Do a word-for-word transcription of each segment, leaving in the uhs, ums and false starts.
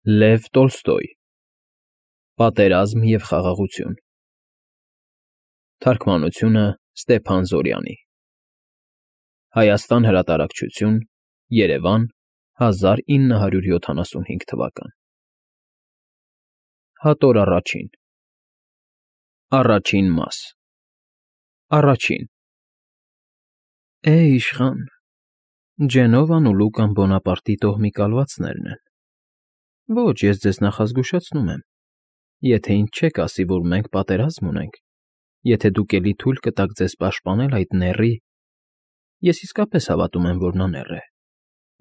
Լև Տոլստոյ Պատերազմ և խաղաղություն Թարգմանությունը Ստեփան Զորյանի Հայաստան Հրատարակչություն Երևան հազար ինը հարյուր յոթանասունհինգ թվական Հատոր առաջին Առաջին մաս Առաջին Է իշխան, Ջենովան ու Լուկան Բոնապարտի տոհմի կալվածներն են։ Ոչ, ես ձեզ նախազգուշացնում եմ, եթե ինձ չեք ասի, որ մենք պատերազմ ունենք, եթե դուք էլի թույլ կտաք ձեզ պաշտպանել այդ նեռի, ես իսկապես հավատում եմ, որ նա նեռ է,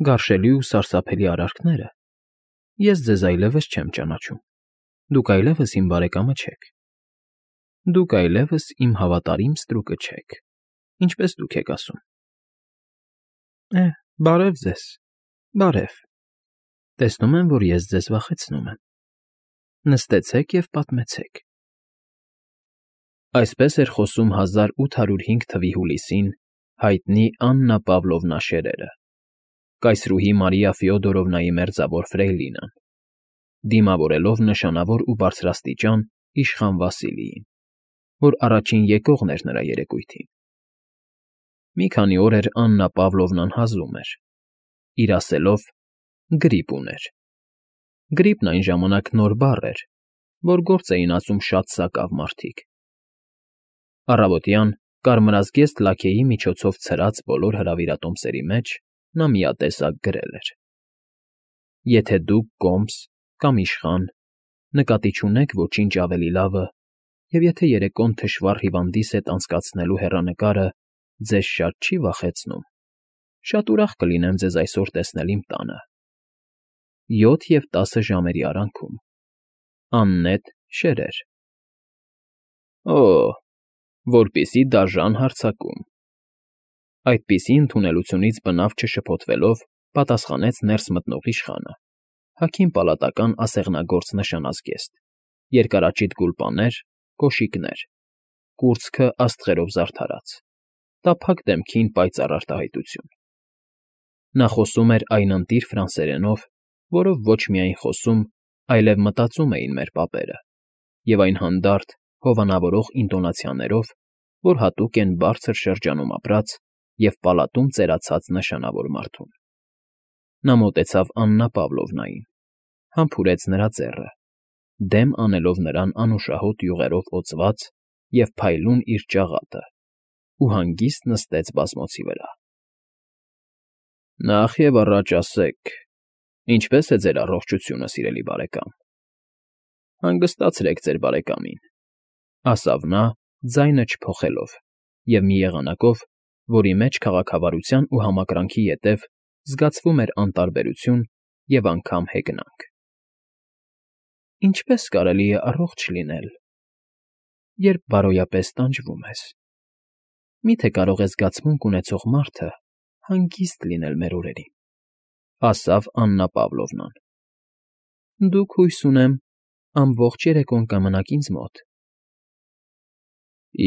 գարշելի ու սարսափելի արարքները, ես ձեզ այլևս չեմ ճանաչում, դուք այլևս իմ բարեկամը չեք, դուք այլևս իմ հավատարիմ ստրուկը չեք, ինչպես դուք եք ասում։ Է, բարև ձեզ, բարև, տեսնում եմ, որ ես ձեզ վախեցնում եմ, նստեցեք և պատմեցեք։ Այսպես էր խոսում հազար ութ հարյուր հինգ թվականի հուլիսին հայտնի Աննա Պավլովնա Շերերը, կայսրուհի Մարիա Ֆյոդորովնայի մերձավոր ֆրեյլինան, դիմավորելով նշանավոր ու բարձրաստիճան իշխան Վասիլիին, որ առաջին եկողն էր նրա երեկույթին։ Մի քանի օր էր Աննա Պավլովնան հազում էր, իր ասելով գրիպ ուներ։ Գրիպն այն ժամանակ նոր բառ էր, որ գործ էին ասում շատ սակավ մարդիկ։ Առավոտյան կարմրազգեստ լաքեի միջոցով ցրած բոլոր հրավիրատոմսերի մեջ նա միատեսակ գրել էր. Եթե դուք կոմս կամ իշխան նկատի չունեք ոչինչ ավելի լավը, և եթե երեկոն թշվառ հիվանդիս հետ անցկացնելու հեռանկարը ձեզ շատ չի վախեցնում, շատ ուրախ կլինեմ ձեզ այսօր տեսնել իմ տանը։ Յոթ և տասը ժամերի արանքում։ Աննետ Շերեր։ Օ՜, որպիսի դաժան հարձակում։ Այդպիսի ընդունելությունից բնավ չշփոթվելով պատասխանեց ներս մտնող իշխանը, հագին պալատական ասեղնագործ նշանազգեստ, երկարաճիտ գուլպաներ, կոշիկներ, կուրծքը աստղերով զարդարած, տափակ դեմքին պայծառ արտահայտություն։ Նա խոսում էր այն ընտիր ֆրանսերենով, որով ոչ միայն խոսում, այլև մտածում էին մեր պապերը, և այն հանդարտ, հովանավորող ինտոնացիաներով, որ հատուկ են բարձր շրջանում ապրած և պալատում ծերացած նշանավոր մարդուն։ Նա մոտեցավ Աննա Պավլովնային, համբուրեց նրա ձեռը, դեմ անելով նրան անուշահոտ յուղերով օծված և փայլուն իր ճաղատը, ու հանգիստ նստեց բազմոցի վրա։ Նախ և առաջ ասեք, ինչպե՞ս է ձեր առողջությունը, սիրելի բարեկամ։ Հանգստացրեք ձեր բարեկամին, ասավ նա, ձայնը չփոխելով և մի եղանակով, որի մեջ քաղաքավարության ու համակրանքի ետև զգացվում էր անտարբերություն և անգամ հեգնանք։ Ինչպե՞ս կարելի է առողջ լինել, երբ բարոյապես տանջվում ես։ Մի՞թե կարող է զգացմունք ունեցող մարդը հանգիստ լինել մեր օրերին, ասավ Աննա Պավլովնան։ Դուք, հույս ունեմ, ամբողջ երեկոն կմնաք ինձ մոտ։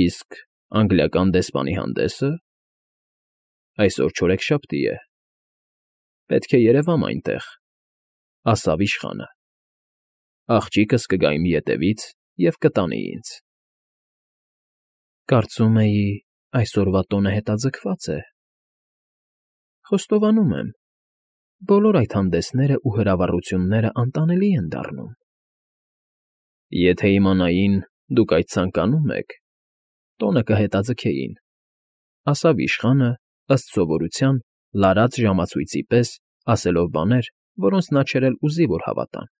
Իսկ անգլիական դեսպանի հանդեսը… Այսօր չորեքշաբթի է, պետք է երևամ այնտեղ, ասավ իշխանը։ Աղջիկս կգա իմ ետևից և կտանի ինձ։ Կարծում էի, այսօրվա տոնը հետաձգված է։ Խոստովանում եմ, բոլոր այդ հանդեսներն ու հրավառությունները անտանելի են դառնում։ Եթե իմանային, դուք այդ ցանկանում եք, տոնը կհետաձգեին, ասավ իշխանը, ըստ սովորության, լարած ժամացույցի պես, ասելով բաներ, որոնց նա չէր էլ ուզի, որ հավատան։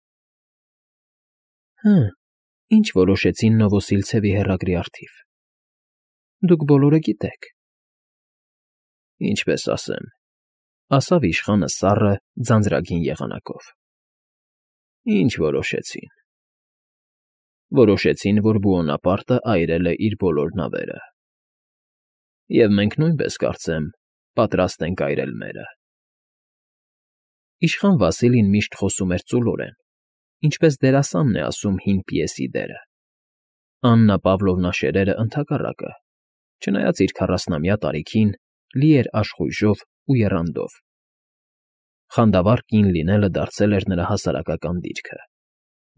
Հը, ինչ որոշեցին Նովոսիլցևի հեռագրի առթիվ։ Դուք բոլորը գիտեք։ Ինչպես ասեմ, ասավ իշխանը սառը, ձանձրագին եղանակով։ Ինչ որոշեցին։ Որոշեցին, որ Բուոնապարտը այրել է իր բոլոր նավերը։ Եվ մենք նույնպես, կարծեմ, պատրաստ ենք այրել մերը։ Իշխան Վասիլին միշտ խոսում էր ծուլորեն, ինչպես դերասանն է ասում հին պիեսի դերը։ Աննա Պավլովնա Շերերը, ընդհակառակը, չնայած իր քառասնամյա տարիքին, լի էր աշխույժով ու եռանդով։ Խանդավառ կին լինելը դարձել էր նրա հասարակական դիրքը,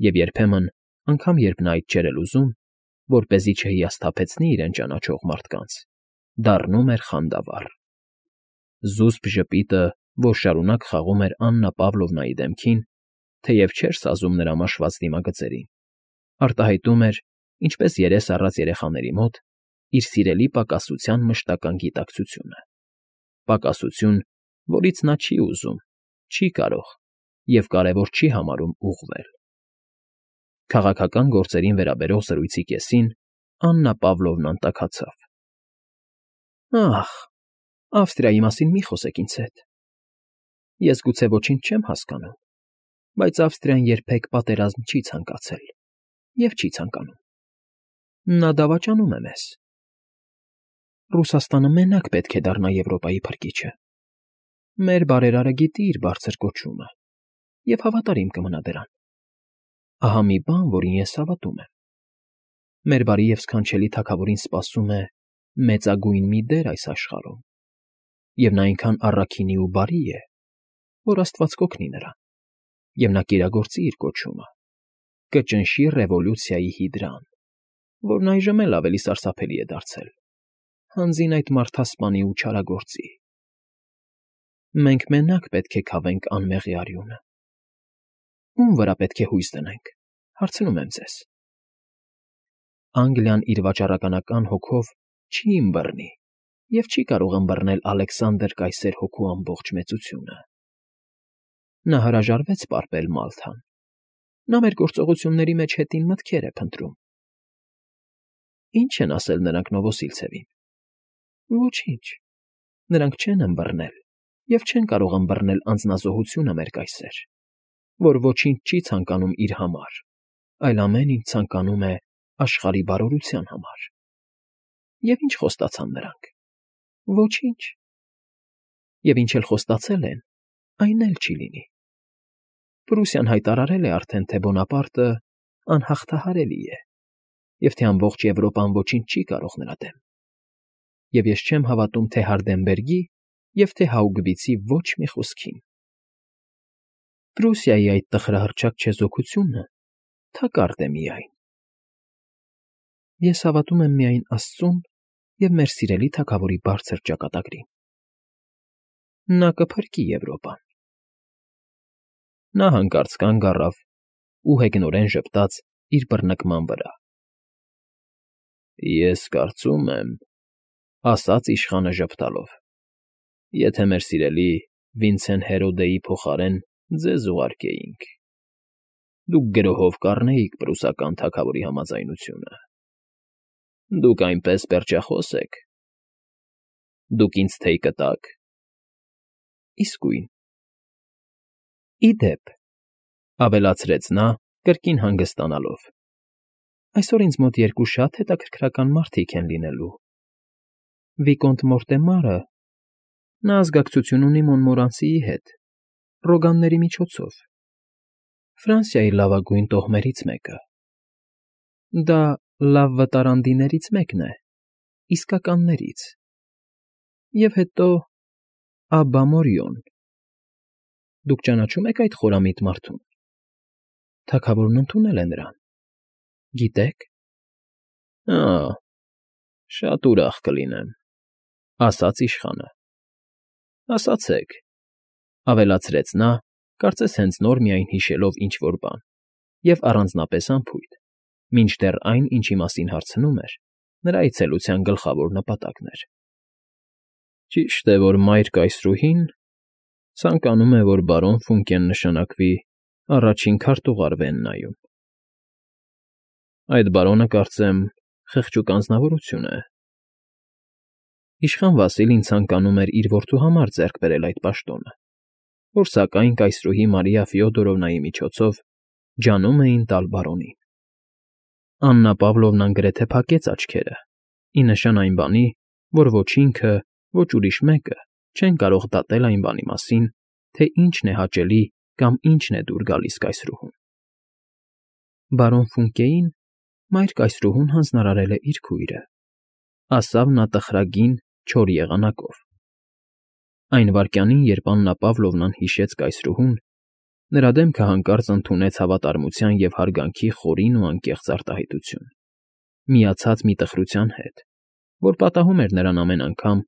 և երբեմն, անգամ երբ նա այդ չէր էլ ուզում, որպեսզի չհիասթափեցնի իրեն ճանաչող մարդկանց, դառնում էր խանդավառ։ Զուսպ ժպիտը, որ շարունակ խաղում էր Աննա Պավլովնայի դեմքին, թեև չէր սազում նրա մաշված դիմագծերին, արտահայտում էր, ինչպես երես առած երեխաների մոտ, իր սիրելի պակասության մշտական գիտակցությունը, պակասություն, որից նա չի ուզում, չի կարող և կարևոր չի համարում ուղղվել։ Քաղաքական գործերին վերաբերող զրույցի կեսին Աննա Պավլովնան տաքացավ. «Ախ, Ավստրիայի մասին մի խոսեք ինձ հետ։ Ես գուցե ոչինչ չեմ հասկանում, բայց Ավստրիան երբեք պատերազմ չի ցանկացել և չի ցանկանում։ Նա դավաճանում է մեզ։ Ռուսաստանը մենակ պետք է դառնա Եվրոպայի փրկիչը։ Մեր բարերարը գիտի իր բարձր կոչումը և հավատարիմ կմնա դրան։ Ահա մի բան, որին ես հավատում եմ. մեր բարի և սքանչելի թագավորին սպասում է մեծագույն մի դեր այս աշխարհում, և նա այնքան առաքինի ու բարի է, որ աստված կօգնի նրան, և նա կիրագործի իր կոչումը, կճնշի ռևոլյուցիայի հիդրան, որն այժմ էլ ավելի սարսափելի է դարձել, հանձին այդ մարդասպանի ու չարագործի։ Մենք մենակ պետք է քավենք անմեղի արյունը։ Ո՞ւմ վրա պետք է հույս դնենք, հարցնում եմ ձեզ։ Անգլիան իր վաճառականական հոգով չի ըմբռնի և չի կարող ըմբռնել Ալեքսանդր կայսեր հոգու ամբողջ մեծությունը։ Նա հրաժարվեց պարպել Մալթան։ Նա մեր գործողությունների մեջ հետին մտքեր է փնտրում։ Ի՞նչ են ասել նրանք Նովոսիլցևին։ Ոչինչ։ Նրանք չեն ըմբռնել և չեն կարող ըմբռնել անձնազոհությունը մեր կայսեր, որ ոչինչ չի ցանկանում իր համար, այլ ամեն ինչ ցանկանում է աշխարհի բարօրության համար։ Եվ ինչ խոստացան նրանք։ Ոչինչ։ Եվ ինչ էլ խոստացել են, այն էլ չի լինի։ Պրուսիան հայտարարել է արդեն, թե Բոնապարտը անհաղթահարելի է, և թե ամբողջ Եվրոպան ոչինչ չի կարող նրա դեմ։ Եվ ես չեմ հավատում թե Հարդենբերգի և թե Հաուգվիցի ոչ մի խոսքին։ Պրուսիայի այդ տխրահռչակ չեզոքությունը թակարդ է միայն։ Ես հավատում եմ միայն Աստծուն և մեր սիրելի թագավորի բարձր ճակատագրին։ Նա կփրկի Եվրոպան»։ Նա հանկարծ կանգ առավ ու հեգնորեն ժպտաց իր բռնկման վրա։ «Ես կարծում եմ,֊ ասաց իշխանը ժպտալով,֊ եթե մեր սիրելի Վինցեն Հերոդեի փոխարեն ձեզ ուղարկեինք, դուք գրոհով կառնեիք պրուսական թագավորի համաձայնությունը։ Դուք այնպես պերճախոս եք։ Դուք ինձ թեյ կտաք։ Իսկույն։ Ի դեպ,֊ ավելացրեց նա, կրկին հանգստանալով,֊ այսօր ինձ մոտ երկու շատ հետաքրքրական մարդիկ են լինելու. Վիկոնտ Մորտեմարը, նա ազգակցություն ունի Մոնմորանսիի հետ, Ռոգանների միջոցով, Ֆրանսիայի լավագույն տոհմերից մեկը։ Դա լավ վտարանդիներից մեկն է, իսկականներից։ Եվ հետո Աբբա Մորիոն։ Դուք ճանաչո՞ւմ եք այդ խորամիտ մարդուն։ Թագավորն ընդունել է նրան։ Գիտե՞ք։ Ա՜, շատ ուրախ կլինեմ,֊ ասաց իշխանը։ Ասացեք,֊ ավելացրեց նա, կարծես հենց նոր միայն հիշելով ինչ֊որ բան և առանձնապես անփույթ, մինչդեռ այն, ինչի մասին հարցնում էր, նրա այցելության գլխավոր նպատակն էր։ Ճիշտ է, որ Մայր կայսրուհին ցանկանում է, որ բարոն Ֆունկեն նշանակվի առաջին քարտուղար Վեննայում։ Այդ բարոնը, կարծեմ, խղճուկ անձնավորություն է։ Իշխան Վասիլին ցանկանում էր իր որդու համար ձեռք բերել այդ պաշտոնը, որ սակայն կայսրուհի Մարիա Ֆյոդորովնայի միջոցով ջանում էին տալ բարոնին։ Աննա Պավլովնան գրեթե փակեց աչքերը, ի նշան այն բանի, որ ոչ ինքը, ոչ ուրիշ մեկը չեն կարող դատել այն բանի մասին, թե ինչն է հաճելի կամ ինչն է դուր գալիս կայսրուհուն։ Բարոն Ֆունկեին Մայր կայսրուհուն հանձնարարել է իր քույրը,֊ ասավ նա տխրագին չոր եղանակով։ Այն վայրկյանին, երբ Աննա Պավլովնան հիշեց կայսրուհուն, նրա դեմքը հանկարծ ընդունեց հավատարմության և հարգանքի խորին ու անկեղծ արտահայտություն, միացած մի տխրության հետ, որ պատահում էր նրան ամեն անգամ,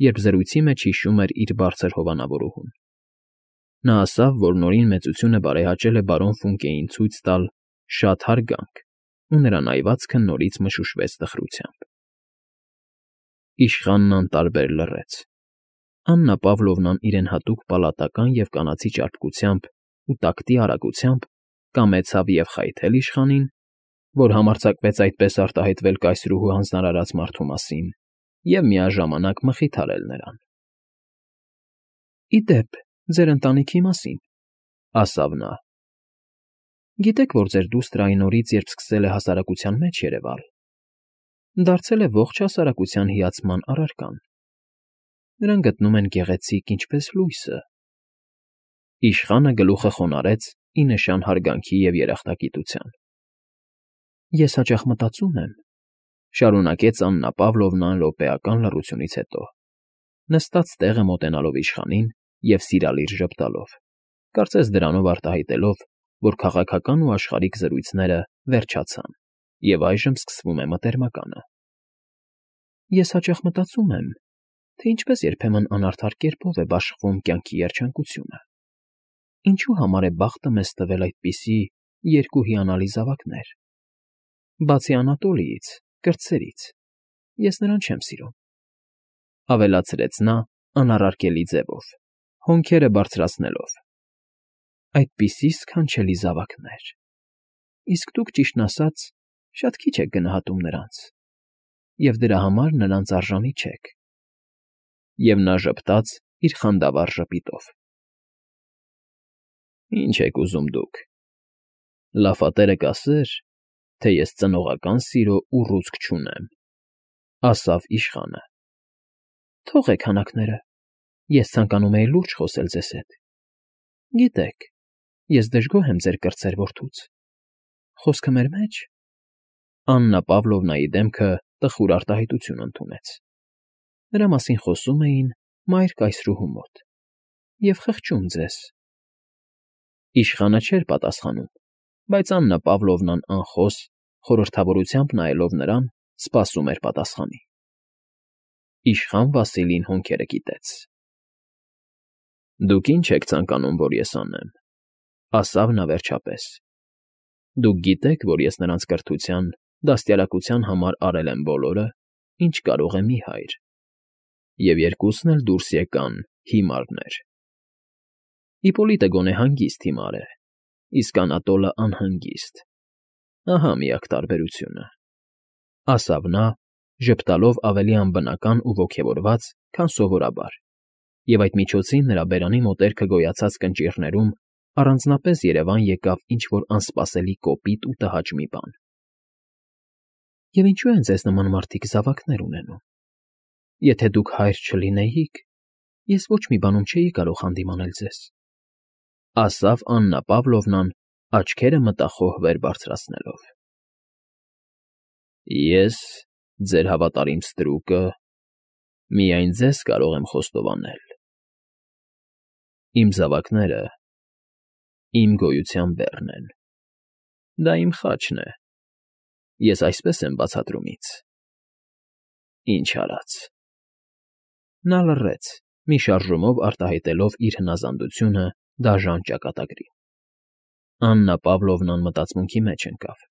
երբ զրույցի մեջ հիշում էր իր բարձր հովանավորուհուն։ Նա ասավ, որ Նորին մեծությունը բարեհաճել է բարոն Ֆունկեին ցույց տալ շատ հարգանք, ու նրա այվածքը նորից մշուշվեց տխրությամբ։ Իշխանն անտարբեր լռեց։ Աննա Պավլովնան իրեն հատուկ պալատական և կանացի ճարպկությամբ ու տակտի արագությամբ կամեցավ և խայթել իշխանին, որ համարձակվեց այդպես արտահայտվել կայսրուհու հանձնարարած մարդու մասին, և միաժամանակ մխիթարել նրան։ ֊ Ի դեպ, ձեր ընտանիքի մասին,֊ ասավ նա,֊ գիտեք, որ ձեր դուստրը այն օրից, երբ սկսել է հասարակության մեջ երևալ, դարձել է ողջ հասարակության հիացման առարկան. նրան գտնում են գեղեցիկ ինչպես լույսը։ Իշխանը գլուխը խոնարհեց ի նշան հարգանքի և երախտագիտության։ ֊ Ես հաճախ մտածում եմ,֊ շարունակեց Աննա Պավլովնան րոպեական լռությունից հետո, նստած տեղը մոտենալով իշխանին և սիրալիր ժպտալով, կարծես դրանով արտահայտելով, որ քաղաքական ու աշխարհիկ զրույցները վերջացան, և այժմ սկսվում է մտերմականը։ Ես հաճախ մտածում եմ, թե ինչպես երբեմն անարդար կերպով է բաշխվում կյանքի երջանկությունը։ Ինչու համար է բախտը մեզ տվել այդպիսի երկու հիանալի զավակներ։ Բացի Անատոլիից, կրտսերից, ես նրան չեմ սիրում,֊ ավելացրեց նա անառարկելի ձևով, հոնքերը բարձրացնելով,֊ այդպիսի սքանչելի զավակներ… Իսկ դուք, ճիշտն ասած, շատ քիչ եք գնահատում նրանց, և դրա համար նրանց արժանի չեք։ Եվ նա ժպտաց իր խանդավառ ժպիտով։ ֊ Ինչ եք ուզում դուք… Լաֆատերը կասեր, թե ես ծնողական սիրո ուռուցք չունեմ,֊ ասավ իշխանը։ ֊ Թողեք հանակները… Ես ցանկանում էի լուրջ խոսել ձեզ հետ։ Գիտեք, ես դժգոհ եմ ձեր կրտսեր որդուց… Խոսքը մեր մեջ… Աննա Պավլովնայի դեմքը տխուր արտահայտություն ընդունեց։ Նրա մասին խոսում էին մայր կայսրուհու մոտ… և խղճում ձեզ… Իշխանը չէր պատասխանում, բայց Աննա Պավլովնան անխոս, խորհրդավորությամբ նայելով նրան, սպասում էր պատասխանի։ Իշխան Վասիլին հոնքերը կիտեց։ ֊ Դուք ի՞նչ եք ցանկանում, որ ես անեմ,֊ ասավ նա վերջապես։ Դուք գիտեք, որ ես նրանց կրթության, դաստիարակության համար արել եմ բոլորը, ինչ կարող է մի հայր, և երկուսն էլ դուրս եկան հիմարներ… Իպոլիտը գոնե հանգիստ հիմար է, իսկ Անատոլը անհանգիստ… Ահա միակ տարբերությունը,֊ ասավ նա, ժպտալով ավելի անբնական ու ոգևորված, քան սովորաբար, և այդ միջոցին նրա բերանի մոտերքը գոյացած կնճիռներում առանձնապես երևան եկավ ինչ֊որ անսպասելի կոպիտ ու տհաճ մի բան։ Եվ ինչո՞ւ են ձեզ նման մարդիկ զավակներ ունենում։ Եթե դուք հայր չլինեիք, ես ոչ մի բանում չէի կարող հանդիմանել ձեզ,֊ ասավ Աննա Պավլովնան, աչքերը մտախոհ վեր բարձրացնելով։ ֊ Ես, ձեր հավատարիմ ստրուկը, միայն ձեզ կարող եմ խոստովանել. իմ զավակները իմ գոյության բեռն են, դա իմ խաչն է, ես այսպես եմ բացատրում ինձ… Ինչ արած… Նա լռեց, մի շարժումով արտահայտելով իր հնազանդությունը դաժան ճակատագրի։ Աննա Պավլովնան մտածմունքի մեջ ընկավ։ ֊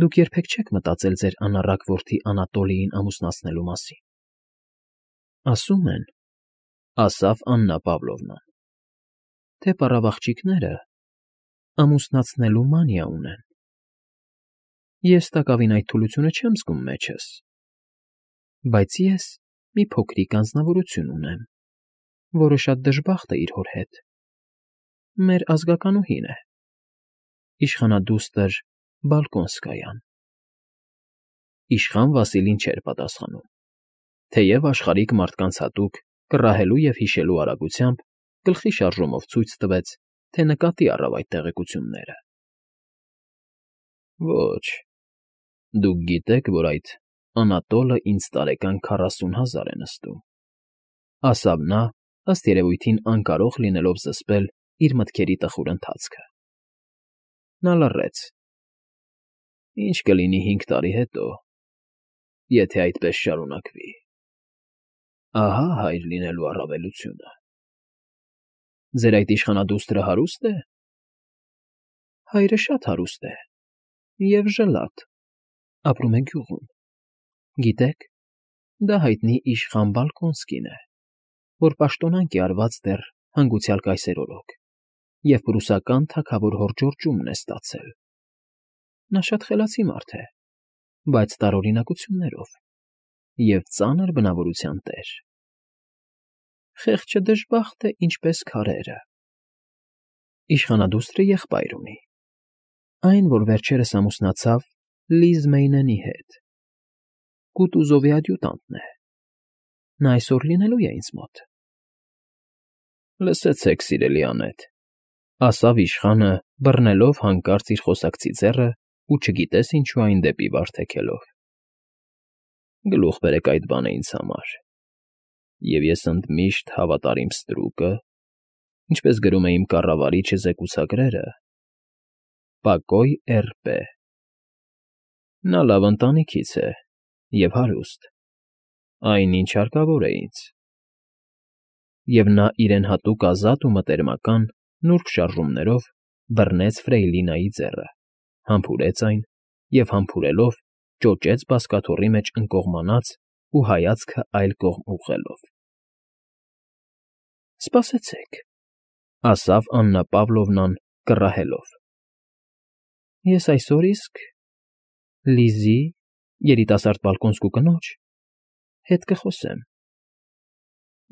Դուք երբեք չեք մտածել ձեր անառակ որդի Անատոլիին ամուսնացնելու մասին։ ֊ Ասում են,֊ ասավ Աննա Պավլովնան,֊ թե պառավաղջիկները ամուսնացնելու մանիա ունեն։ Ես տակավին այդ թուլությունը չեմ զգում մեջս, բայց ես մի փոքրիկ անձնավորություն ունեմ, որը շատ դժբախտ է իր հոր հետ… Մեր ազգականուհին է… Իշխանադուստր Բալկոնսկայան… Իշխան Վասիլին չէր պատասխանում, թեև աշխարհիկ մարդկանց հատուկ կռահելու և հիշելու արագությամբ գլխի շարժումով ցույց տվեց, թե նկատի առավ այդ տեղեկությունները։ ֊ Ոչ, դուք գիտեք, որ այդ Անատոլը ինձ տարեկան քառասուն հազար է նստում, ասավ նա, ըստ երևույթին անկարող լինելով զսպել իր մտքերի տխուր ընթացքը։ Նա լռեց. «Ինչ կլինի հինգ տարի հետո, եթե այդպես շարունակվի… Ահա հայր լինելու առավելությունը… Ձեր այդ իշխանադուստրը հարուստ է։ ֊ Հայրը շատ հարուստ է և ժլատ, ապրում է գյուղում, գիտեք, դա հայտնի իշխան Բալկոնսկին է, որ պաշտոնանկ է արված դեռ հանգուցյալ կայսեր օրոք և պրուսական թագավոր հոր Ժորժումն է ստացել. նա շատ խելացի մարդ է, բայց տարօրինակություններով և ծանր բնավորության տեր… Խեղճը դժբախտ է, ինչպես քարերը… Իշխանադուստրը եղբայր ունի, այն, որ վերջերս ամուսնացավ Լիզ Մեյնենի հետ, Կուտուզովի ադյուտանտն է, նա այսօր լինելու է ինձ մոտ։ ֊ Լսեցեք, սիրելի անետ,֊ ասավ իշխանը, բռնելով հանկարծ իր խոսակցի ձեռը ու չգիտես ինչու այն դեպի վար թեքելով։֊ Գլուխ բերեք այդ բանը ինձ համար, և ես ընդմիշտ հավատարիմ ստրուկը, ինչպես գրում է իմ կառավարիչը զեկուցագրերը, Պակոյ էրպե… Նա լավ ընտանիքից է և հարուստ, այն, ինչ հարկավոր է ինձ… Եվ նա իրեն հատուկ ազատ ու մտերմական նուրբ շարժումներով բռնեց Ֆրեյլինայի ձեռը, համբուրեց այն և համբուրելով ճոճեց բազկաթոռի մեջ ընկողմանած ու հայացքը այլ կողմ ուղղելով։ ֊ Սպասեցեք,֊ ասավ Աննա Պավլովնան կռահելով,֊ ես այսօր իսկ Լիզի, երիտասարդ Բալկոնսկու կնոջ, հետ կխոսեմ,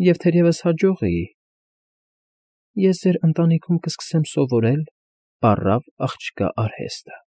և թերևս հաջողի, ես ձեր ընտանիքում կսկսեմ սովորել պառավ աղջկա արհեստը։